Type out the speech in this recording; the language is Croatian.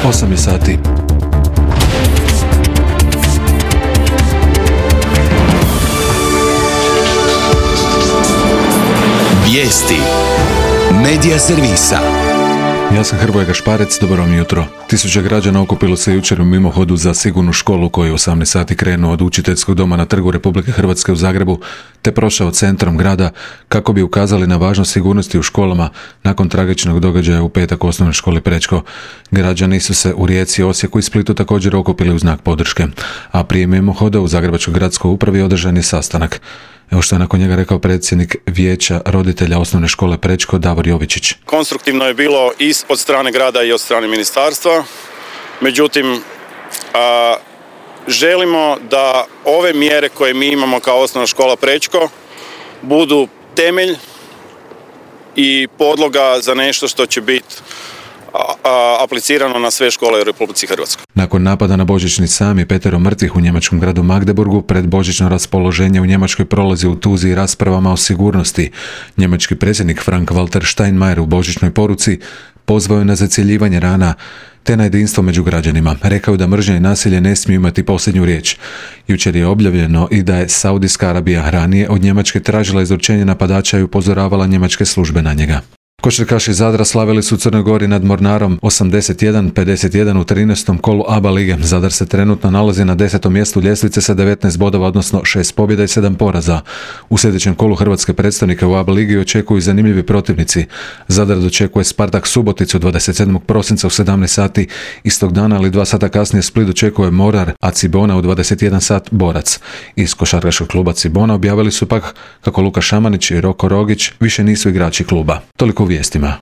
8 je sati. Vijesti Medija servisa. Ja sam Hrvoje Gašparec, dobro vam jutro. Tisuće građana okupilo se jučer u mimohodu za sigurnu školu koji je u 18 sati krenuo od učiteljskog doma na Trgu Republike Hrvatske u Zagrebu te prošao centrom grada kako bi ukazali na važnost sigurnosti u školama nakon tragičnog događaja u petak u osnovnoj školi Prečko. Građani su se u Rijeci, Osijeku i Splitu također okupili u znak podrške, a prije mimohoda u Zagrebačkoj gradskoj upravi održan je sastanak. Evo što je nakon njega rekao predsjednik vijeća roditelja osnovne škole Prečko Davor Jovičić. Konstruktivno je bilo i od strane grada i od strane ministarstva, međutim želimo da ove mjere koje mi imamo kao osnovna škola Prečko budu temelj i podloga za nešto što će biti aplicirano na sve škole u Republici Hrvatskoj. Nakon napada na božićni sam i 5 mrtvih u njemačkom gradu Magdeburgu, pred božićno raspoloženje u Njemačkoj prolazi u tuzi i raspravama o sigurnosti. Njemački predsjednik Frank-Walter Steinmeier u božićnoj poruci pozvao je na zacjeljivanje rana te na jedinstvo među građanima. Rekao je da mržnja i nasilje ne smiju imati posljednju riječ. Jučer je objavljeno i da je Saudijska Arabija ranije od Njemačke tražila izručenje napadača i upozoravala njemačke službe na njega. Košarkaši Zadra slavili su u Crnoj Gori nad Mornarom 81-51 u 13. kolu ABA lige. Zadar se trenutno nalazi na 10. mjestu ljestvice sa 19 bodova, odnosno 6 pobjeda i 7 poraza. U sljedećem kolu hrvatske predstavnike u ABA ligi očekuju zanimljivi protivnici. Zadar dočekuje Spartak Suboticu 27. prosinca u 17 sati istog dana, ali 2 sata kasnije Split dočekuje Morar, a Cibona u 21 sat Borac. Iz košarkaškog kluba Cibona objavili su pak kako Luka Šamanić i Roko Rogić više nisu igrači kluba. Toliko u vijestima.